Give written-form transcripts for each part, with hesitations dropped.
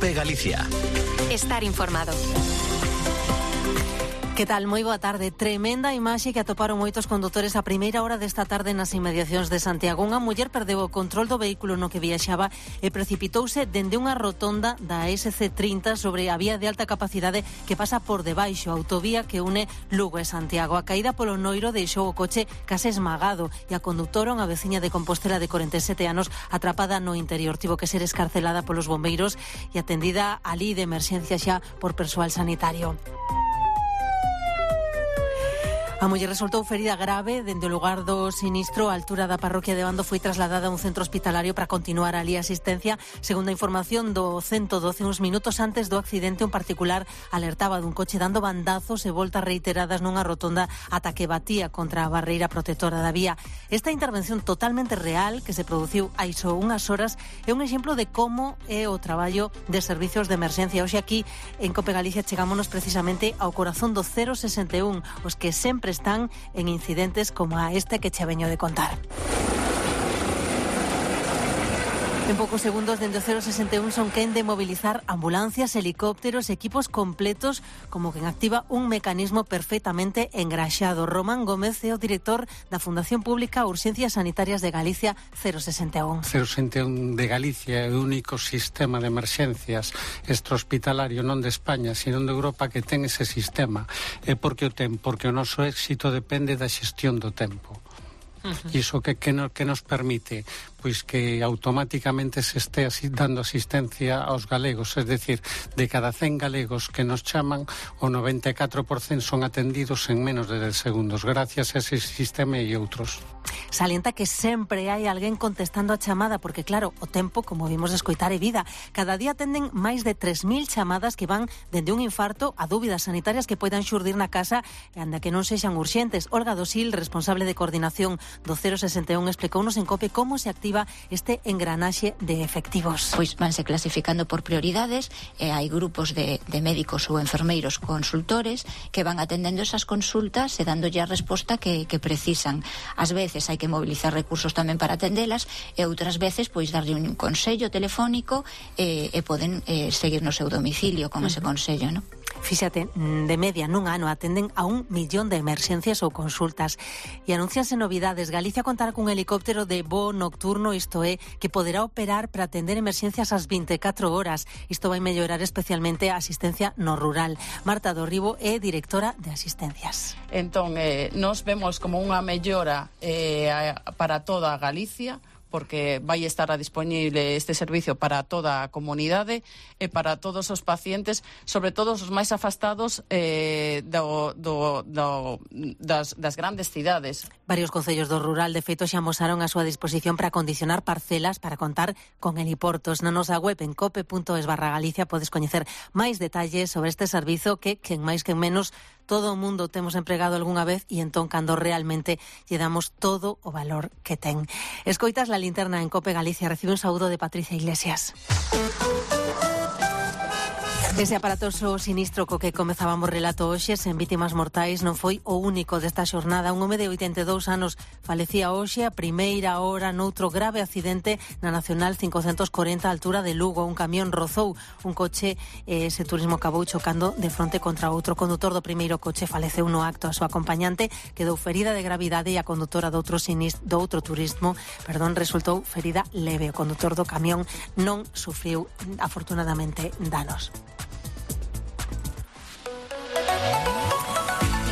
COPE Galicia. Estar informado. Que tal? Moi boa tarde. Tremenda imaxe que atoparon moitos condutores a primeira hora desta tarde nas inmediacións de Santiago. Unha muller perdeu o control do vehículo no que viaxaba e precipitouse dende unha rotonda da SC30 sobre a vía de alta capacidade que pasa por debaixo, a autovía que une Lugo e Santiago. A caída polo noiro deixou o coche case esmagado e a condutora, unha veciña de Compostela de 47 anos, atrapada no interior. Tivo que ser escarcelada polos bombeiros e atendida alí de emerxencia xa por persoal sanitario. A muller resultou ferida grave dende o lugar do sinistro. A altura da parroquia de Bando foi trasladada a un centro hospitalario para continuar ali a asistencia. Segundo a información do 112, uns minutos antes do accidente, un particular alertaba dun coche dando bandazos e voltas reiteradas nunha rotonda ata que batía contra a barreira protectora da vía. Esta intervención totalmente real que se produciu hai só unhas horas é un exemplo de como é o traballo de servicios de emerxencia. Hoxe aquí en COPE Galicia chegámonos precisamente ao corazón do 061, os que sempre están en incidentes como a este que che veño de contar. En poucos segundos dende o 061 son quen de mobilizar ambulancias, helicópteros, equipos completos, como quen activa un mecanismo perfectamente engraxado. Román Gómez é o director da Fundación Pública Urxencias Sanitarias de Galicia 061. 061 de Galicia é o único sistema de emerxencias extrahospitalario non de España, sino de Europa que ten ese sistema. É porque o ten, porque o noso éxito depende da xestión do tempo. Iso que nos permite pois que automáticamente se este dando asistencia aos galegos, es decir, de cada 100 galegos que nos chaman, o 94% son atendidos en menos de 10 segundos, gracias a ese sistema e outros. Salienta que sempre hai alguén contestando a chamada, porque claro, o tempo, como vimos de escoitar, é vida. Cada día atenden máis de 3.000 chamadas que van dende un infarto a dúbidas sanitarias que poidan xurdir na casa e anda que non sexan urxentes. Olga Dosil, responsable de coordinación do 061, explicounos en COPE como se activa este engranaxe de efectivos. Pois vanse clasificando por prioridades e hai grupos de médicos ou enfermeiros consultores que van atendendo esas consultas e dándolle a resposta que precisan. Ás veces hai que mobilizar recursos tamén para atendelas e outras veces pois darlle un consello telefónico e poden seguir no seu domicilio con ese consello, non? Fíxate, de media nun ano atenden a 1 millón de emerxencias ou consultas e anuncianse novidades. Galicia contará cun helicóptero de voo nocturno, isto é, que poderá operar para atender emerxencias ás 24 horas. Isto vai mellorar especialmente a asistencia no rural. Marta Dorribo é directora de asistencias. Entón, nos vemos como unha mellora para toda Galicia, porque vai estar disponible este servicio para toda a comunidade e para todos os pacientes, sobre todo os máis afastados das grandes cidades. Varios concellos do rural, de feito, xa amosaron a súa disposición para condicionar parcelas para contar con heliportos. Na nosa web en cope.es/Galicia podes coñecer máis detalles sobre este servizo que, quen máis quen menos, todo o mundo temos empregado algunha vez e entón cando realmente lle damos todo o valor que ten. Escoitas la linterna en COPE Galicia. Recibe un saúdo de Patricia Iglesias. Ese aparatoso sinistro co que comezábamos relato hoxe sen vítimas mortais non foi o único desta xornada. Un home de 82 anos falecía hoxe a primeira hora noutro grave accidente na Nacional 540 a altura de Lugo. Un camión rozou un coche e ese turismo acabou chocando de fronte contra outro. O condutor do primeiro coche faleceu no acto. A súa acompañante quedou ferida de gravidade e a condutora do outro turismo resultou ferida leve. O condutor do camión non sufriu afortunadamente danos.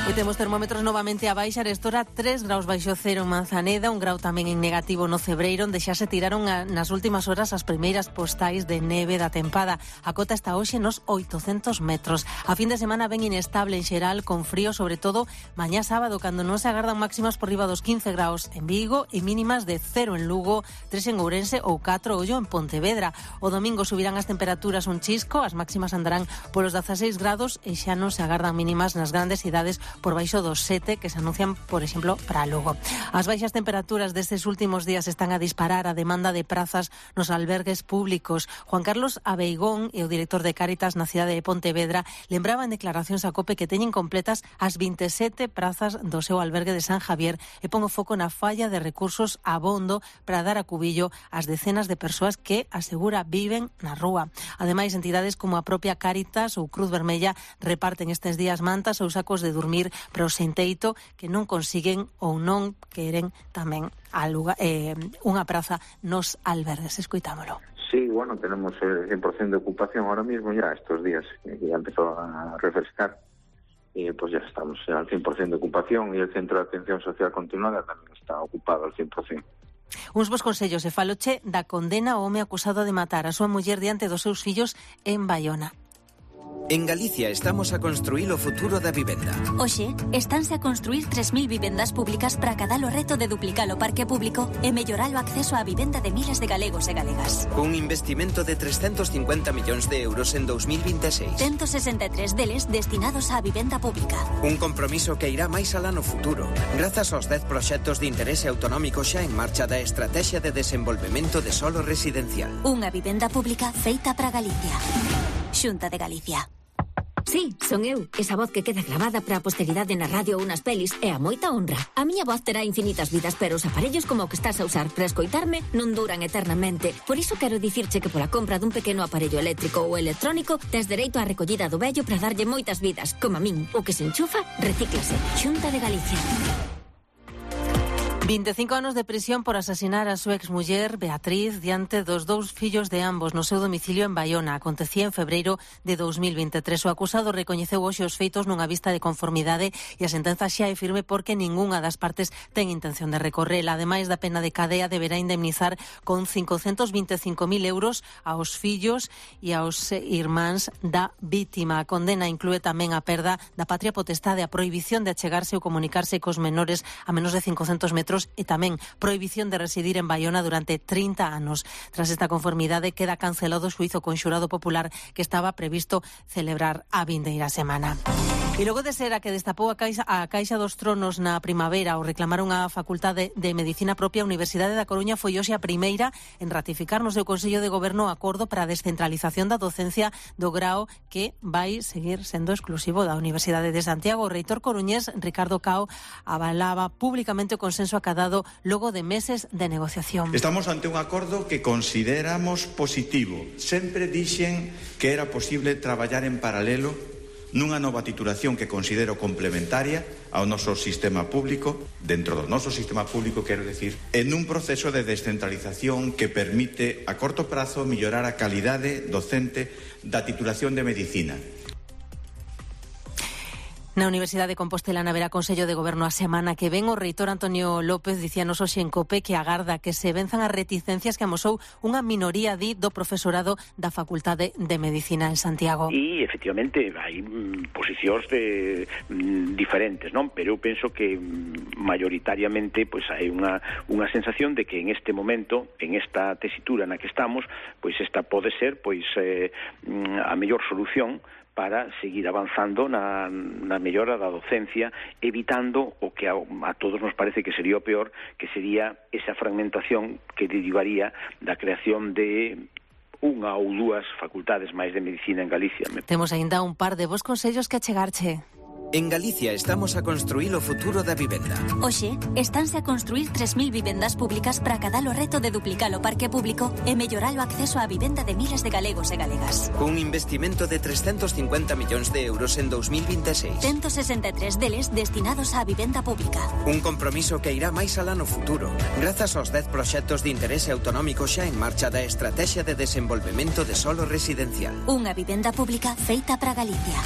E temos termómetros novamente a baixar. Estora 3 graus baixo cero en Manzaneda, 1 grau tamén en negativo no Cebreiro, onde xa se tiraron nas últimas horas as primeiras postais de neve da tempada. A cota está hoxe nos 800 metros. A fin de semana ben inestable en xeral, con frío, sobre todo mañá sábado, cando non se agardan máximas por riba dos 15 graus en Vigo e mínimas de 0 en Lugo, 3 en Ourense ou 4 ollo en Pontevedra. O domingo subirán as temperaturas un chisco, as máximas andarán polos 16 grados e xa non se agardan mínimas nas grandes cidades por baixo dos 7 que se anuncian, por exemplo, para Lugo. As baixas temperaturas destes últimos días están a disparar a demanda de prazas nos albergues públicos. Juan Carlos Abeigón e o director de Cáritas na cidade de Pontevedra lembraba en declaracións a COPE que teñen completas as 27 prazas do seu albergue de San Javier e pon o foco na falla de recursos abondo para dar a cubillo ás decenas de persoas que, asegura, viven na rúa. Ademais, entidades como a propia Cáritas ou Cruz Vermella reparten estes días mantas ou sacos de dormir para o senteito que non consiguen ou non queren tamén unha praza nos albergues. Escoitámolo. Sí, bueno, tenemos el 100% de ocupación ahora mismo ya estos días, que ya empezó a refrescar y pues ya estamos al 100% de ocupación y el Centro de Atención Social Continuada también está ocupado al 100%. Uns bos consellos e faloche da condena ao home acusado de matar a súa muller diante dos seus fillos en Baiona. En Galicia estamos a construir o futuro da vivenda. Oxe, estánse a construir 3.000 vivendas públicas para acadar o reto de duplicar o parque público e mellorar o acceso á vivenda de miles de galegos e galegas. Cun investimento de 350 millóns de euros en 2026. 163 deles destinados á vivenda pública. Un compromiso que irá máis alá no futuro, grazas aos 10 proxectos de interese autonómico xa en marcha da Estrategia de Desenvolvemento de Solo Residencial. Unha vivenda pública feita para Galicia. Xunta de Galicia. Sí, son eu, esa voz que queda gravada para a posteridade na radio ou nas pelis é a moita honra. A miña voz terá infinitas vidas, pero os aparellos como o que estás a usar para escoitarme non duran eternamente. Por iso quero dicirche que pola compra dun pequeno aparello eléctrico ou electrónico tes dereito á recollida do vello para darlle moitas vidas. Como a min, o que se enchufa, recíclase. Xunta de Galicia. 25 anos de prisión por asasinar a súa exmuller Beatriz diante dos dous fillos de ambos no seu domicilio en Baiona. Acontecía en febreiro de 2023. O acusado recoñeceu hoxe os feitos nunha vista de conformidade e a sentenza xa é firme porque ningunha das partes ten intención de recorrela. Ademais da pena de cadea, deberá indemnizar con 525.000 euros aos fillos e aos irmáns da vítima. A condena inclúe tamén a perda da patria potestade, a prohibición de achegarse ou comunicarse cos menores a menos de 500 metros e tamén prohibición de residir en Baiona durante 30 anos. Tras esta conformidade queda cancelado o xuízo con xurado popular que estaba previsto celebrar a vindeira semana. E logo de ser a que destapou a Caixa dos Tronos na primavera ao reclamar unha facultade de medicina propia, a Universidade da Coruña foi hoxe a primeira en ratificar no seu Consello de Goberno o acordo para a descentralización da docencia do grao que vai seguir sendo exclusivo da Universidade de Santiago. O reitor coruñés Ricardo Cao avalaba públicamente o consenso acadado logo de meses de negociación. Estamos ante un acordo que consideramos positivo. Sempre dixen que era posible traballar en paralelo nunha nova titulación que considero complementaria ao noso sistema público, dentro do noso sistema público, quero decir, en un proceso de descentralización que permite a corto prazo mellorar a calidade docente da titulación de medicina. Na Universidade de Compostela haberá Consello de Goberno a semana que ven. O reitor Antonio López dicíanos hoxe en COPE que agarda que se venzan as reticencias que amosou unha minoría do profesorado da Facultade de Medicina en Santiago. E, efectivamente, hai posicións diferentes, non? Pero eu penso que mayoritariamente pois hai unha sensación de que en este momento, en esta tesitura na que estamos, pois esta pode ser pois a mellor solución para seguir avanzando na mellora da docencia, evitando o que a todos nos parece que sería o peor, que sería esa fragmentación que derivaría da creación de unha ou dúas facultades máis de medicina en Galicia. Temos aínda un par de vos consellos que achegarche. En Galicia estamos a construir o futuro da vivenda. Oxe, estánse a construir 3.000 vivendas públicas para acadar o reto de duplicar o parque público e mellorar o acceso á vivenda de miles de galegos e galegas. Cun investimento de 350 millóns de euros en 2026. 163 deles destinados á vivenda pública. Un compromiso que irá máis alá no futuro, grazas aos 10 proxectos de interese autonómico xa en marcha da Estrategia de Desenvolvemento de Solo Residencial. Unha vivenda pública feita para Galicia.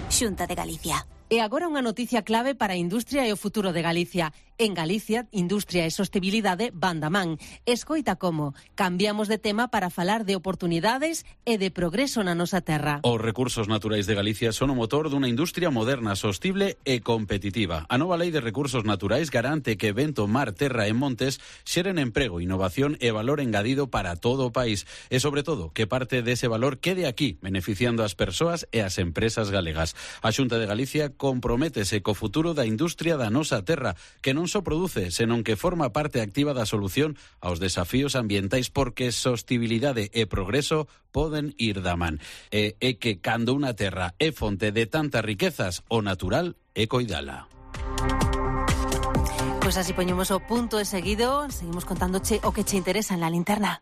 Xunta de Galicia. E agora unha noticia clave para a industria e o futuro de Galicia. En Galicia, industria e sostibilidade van da man. Escoita como cambiamos de tema para falar de oportunidades e de progreso na nosa terra. Os recursos naturais de Galicia son o motor dunha industria moderna, sostible e competitiva. A nova Lei de Recursos Naturais garante que vento, mar, terra e montes xeren emprego, innovación e valor engadido para todo o país. E, sobre todo, que parte dese valor quede aquí, beneficiando as persoas e as empresas galegas. A Xunta de Galicia comprométese co futuro da industria da nosa terra, que non só produce, senón que forma parte activa da solución aos desafíos ambientais, porque sostibilidade e progreso poden ir da man. E que cando unha terra é fonte de tantas riquezas, o natural é coidala. Pois así poñemos o punto e seguido, seguimos contándoche o que che interesa en la linterna.